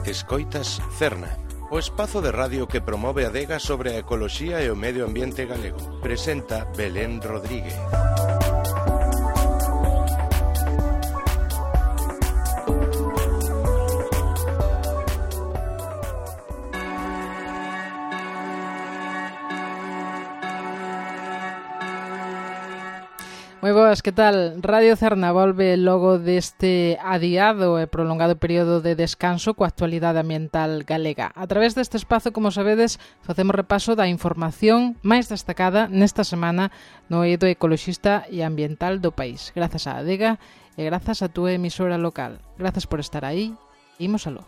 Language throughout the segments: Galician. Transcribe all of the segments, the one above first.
Escoitas Cerna, o espazo de radio que promove a adega sobre a ecoloxía e o medio ambiente galego. Presenta Belén Rodríguez. Moi boas, que tal? Radio Cerna volve logo deste adiado e prolongado período de descanso coa actualidade ambiental galega. A través deste espazo, como sabedes, facemos repaso da información máis destacada nesta semana no eido ecoloxista e ambiental do país. Grazas á adega e grazas á túa emisora local. Grazas por estar aí. Imos aló.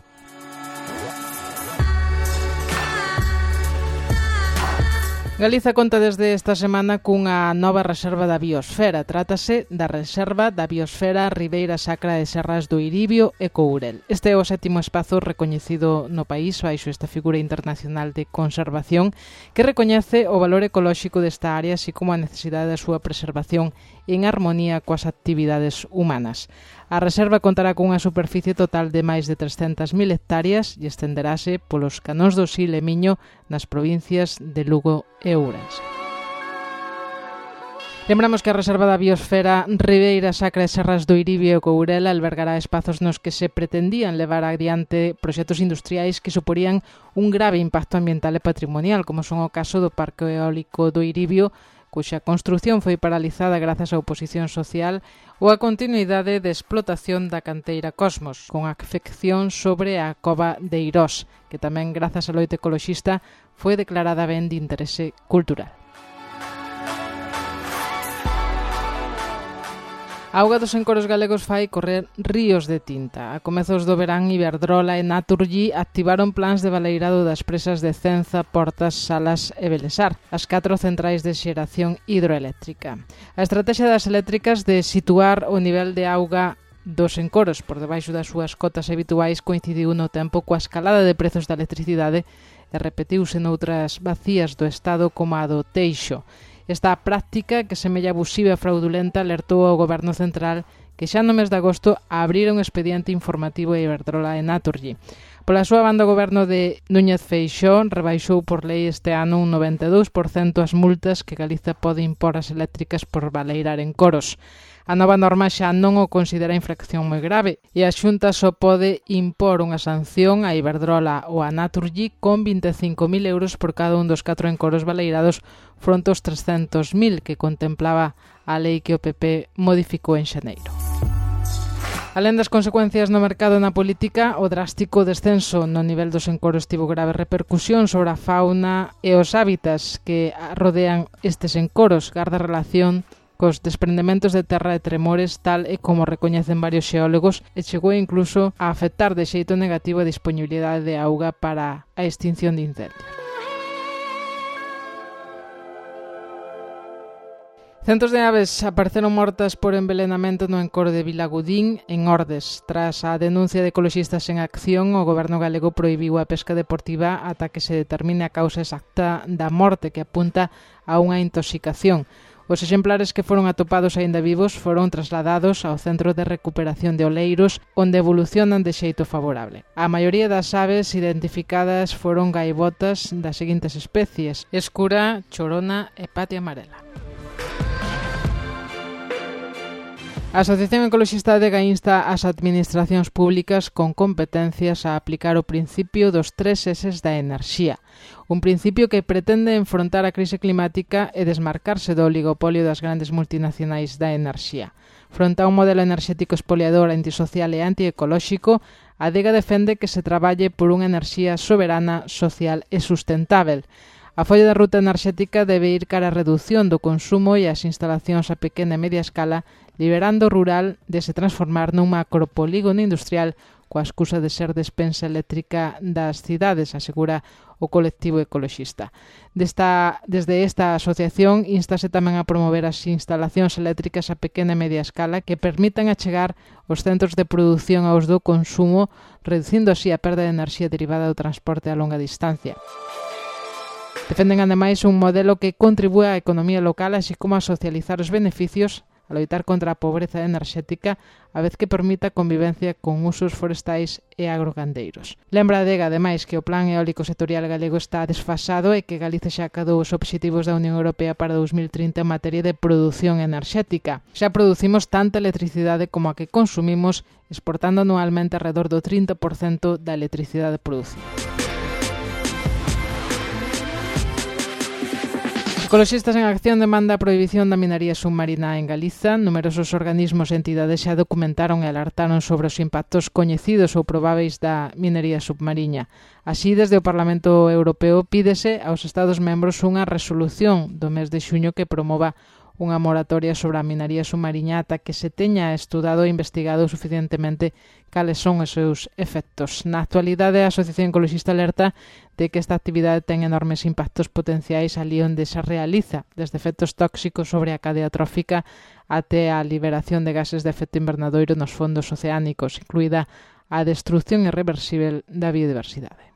Galiza conta desde esta semana cunha nova reserva da biosfera. Trátase da Reserva da Biosfera Ribeira Sacra de Serras do Iribio e Courel. Este é o 7º espazo recoñecido no país baixo esta figura internacional de conservación que recoñece o valor ecolóxico desta área así como a necesidade da súa preservación en armonía coas actividades humanas. A reserva contará cunha superficie total de máis de 300.000 hectáreas e estenderase polos canóns do Sil e Miño nas provincias de Lugo e Ourense. Lembramos que a Reserva da Biosfera Ribeira Sacra de Serras do Iribio e Courel albergará espazos nos que se pretendían levar adiante proxectos industriais que suporían un grave impacto ambiental e patrimonial, como son o caso do Parque Eólico do Iribio, cuxa construción foi paralizada grazas á oposición social, ou a continuidade de explotación da canteira Cosmos, con afección sobre a cova de Eirós, que tamén, grazas á loita ecoloxista, foi declarada ben de interese cultural. A auga dos encoros galegos fai correr ríos de tinta. A comezos do verán, Iberdrola e Naturgy activaron plans de baleirado das presas de Cenza, Portas, Salas e Belesar, as 4 centrais de xeración hidroeléctrica. A estrategia das eléctricas de situar o nivel de auga dos encoros por debaixo das súas cotas habituais coincidiu no tempo coa escalada de prezos da electricidade e repetiuse noutras vacías do Estado como a do Teixo. Esta práctica, que semella abusiva e fraudulenta, alertou ao Goberno Central que xa no mes de agosto abrira un expediente informativo a Iberdrola e Naturgy. Pola súa banda, o Goberno de Núñez Feixóo rebaixou por lei este ano un 92% as multas que Galiza pode impor ás eléctricas por baleirar encoros. A nova norma xa non o considera infracción moi grave e a Xunta só pode impor unha sanción a Iberdrola ou a Naturgy con 25.000 euros por cada un dos 4 encoros baleirados fronte aos 300.000 que contemplaba a lei que o PP modificou en xaneiro. Alén das consecuencias no mercado e na política, o drástico descenso no nivel dos encoros tivo grave repercusión sobre a fauna e os hábitats que rodean estes encoros, garda relación cos desprendementos de terra e tremores, tal e como recoñecen varios xeólogos, e chegou incluso a afectar de xeito negativo a disponibilidade de auga para a extinción de incendios. Centos de aves apareceron mortas por envelenamento no encoro de Vilagudín, en Ordes. Tras a denuncia de ecoloxistas en acción, o goberno galego prohibiu a pesca deportiva ata que se determine a causa exacta da morte, que apunta a unha intoxicación. Os exemplares que foron atopados aínda vivos foron trasladados ao Centro de Recuperación de Oleiros, onde evolucionan de xeito favorable. A maioría das aves identificadas foron gaivotas das seguintes especies: escura, chorona e patia amarela. A Asociación Ecoloxista de insta ás administracións públicas con competencias a aplicar o principio dos 3 S's da enerxía, un principio que pretende enfrontar a crise climática e desmarcarse do oligopolio das grandes multinacionais da enerxía. Fronte a un modelo enerxético espoliador, antisocial e antiecolóxico, a Adega defende que se traballe por unha enerxía soberana, social e sustentável. A folla da ruta enerxética debe ir cara a redución do consumo e as instalacións a pequena e media escala, liberando o rural de se transformar nun macropolígono industrial coa excusa de ser despensa eléctrica das cidades, asegura o colectivo ecoloxista. Desde esta asociación instase tamén a promover as instalacións eléctricas a pequena e media escala que permitan achegar os centros de produción aos do consumo, reducindo así a perda de enerxía derivada do transporte a longa distancia. Defenden ademais un modelo que contribúe á economía local, así como a socializar os beneficios a loitar contra a pobreza enerxética, a vez que permita a convivencia con usos forestais e agrogandeiros. Lembra a Adega, ademais, que o Plan Eólico Sectorial Galego está desfasado e que Galicia xa acadou os obxectivos da Unión Europea para 2030 en materia de produción enerxética. Xa producimos tanta electricidade como a que consumimos, exportando anualmente alrededor do 30% da electricidade producida. Ecoloxistas en Acción demanda a prohibición da minería submarina en Galiza. Numerosos organismos e entidades xa documentaron e alertaron sobre os impactos coñecidos ou probáveis da minería submarina. Así, desde o Parlamento Europeo pídese aos Estados membros unha resolución do mes de xuño que promova unha moratoria sobre a minería submarina ata que se teña estudado e investigado suficientemente cales son os seus efectos. Na actualidade, a Asociación Ecoloxista alerta de que esta actividade ten enormes impactos potenciais ali onde se realiza, desde efectos tóxicos sobre a cadea trófica até a liberación de gases de efecto invernadoiro nos fondos oceánicos, incluída a destrucción irreversible da biodiversidade.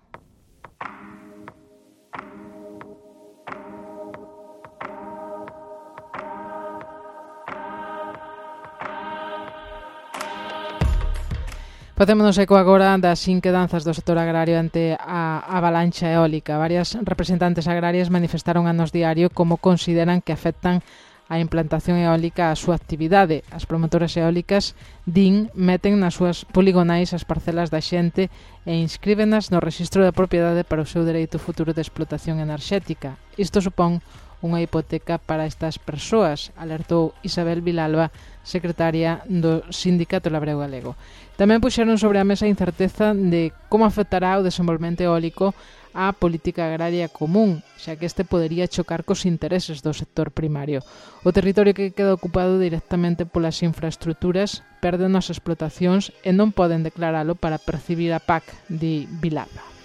Facémonos eco agora das inquedanzas do sector agrario ante a avalancha eólica. Varias representantes agrarias manifestaron a Nós Diario como consideran que afectan a implantación eólica á súa actividade. As promotoras eólicas, meten nas súas poligonais as parcelas da xente e inscríbenas no rexistro da propiedade para o seu dereito futuro de explotación enerxética. Isto supón unha hipoteca para estas persoas, alertou Isabel Vilalba, secretaria do Sindicato Labrego Galego. Tamén puxeron sobre a mesa a incerteza de como afectará o desenvolvemento eólico á política agraria común, xa que este podería chocar cos intereses do sector primario. O territorio que queda ocupado directamente polas infraestructuras perde as explotacións e non poden declaralo para percibir a PAC, di Vilalba.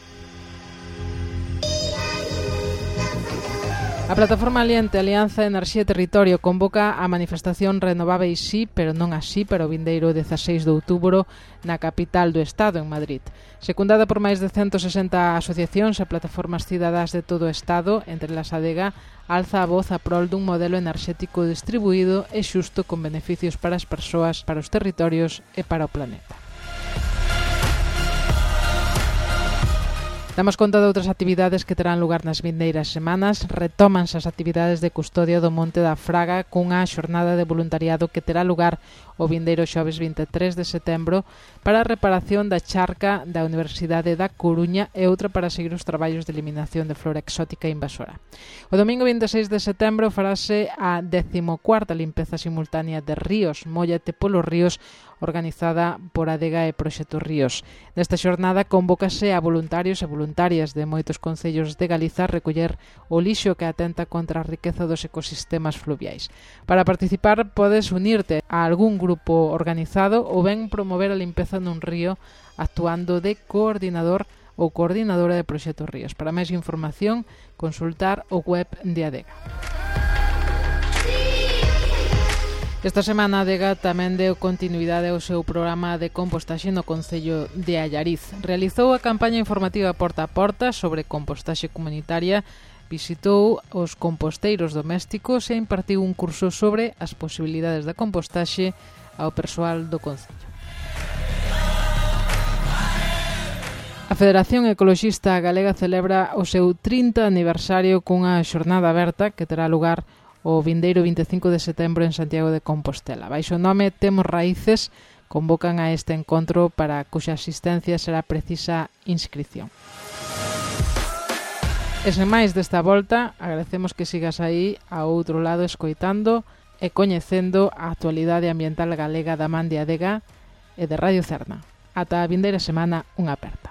A plataforma aliante Alianza Enerxía e Territorio convoca a manifestación Renovábeis sí, pero non así para o vindeiro 16 de outubro na capital do Estado, en Madrid. Secundada por máis de 160 asociacións e plataformas cidadás de todo o Estado, entre las Adega, alza a voz a prol dun modelo enerxético distribuído e xusto con beneficios para as persoas, para os territorios e para o planeta. Damos conta de outras actividades que terán lugar nas vindeiras semanas. Retómanse as actividades de custodia do Monte da Fraga cunha xornada de voluntariado que terá lugar o vindeiro xoves 23 de setembro para a reparación da charca da Universidade da Coruña e outra para seguir os traballos de eliminación de flora exótica e invasora. O domingo 26 de setembro farase a 14ª limpeza simultánea de ríos, Móllate polos ríos, organizada por Adega e Proxecto Ríos. Nesta xornada convócase a voluntarios e voluntarias de moitos concellos de Galiza a recoller o lixo que atenta contra a riqueza dos ecosistemas fluviais. Para participar podes unirte a algún grupo organizado ou ben promover a limpeza nun río actuando de coordinador ou coordinadora de Proxecto Ríos. Para máis información, consultar o web de Adega. Esta semana a Adega tamén deu continuidade ao seu programa de compostaxe no Concello de Allariz. Realizou a campaña informativa porta a porta sobre compostaxe comunitaria, visitou os composteiros domésticos e impartiu un curso sobre as posibilidades da compostaxe ao persoal do Concello. A Federación Ecoloxista Galega celebra o seu 30 aniversario cunha xornada aberta que terá lugar o vindeiro 25 de setembro en Santiago de Compostela. Baixo o nome Temos Raíces, convocan a este encontro para cuxa asistencia será precisa inscripción. E sen máis desta volta, agradecemos que sigas aí ao outro lado escoitando e coñecendo a actualidade ambiental galega da man de Adega e de Radio Cerna. Ata a vindeira semana, unha aperta.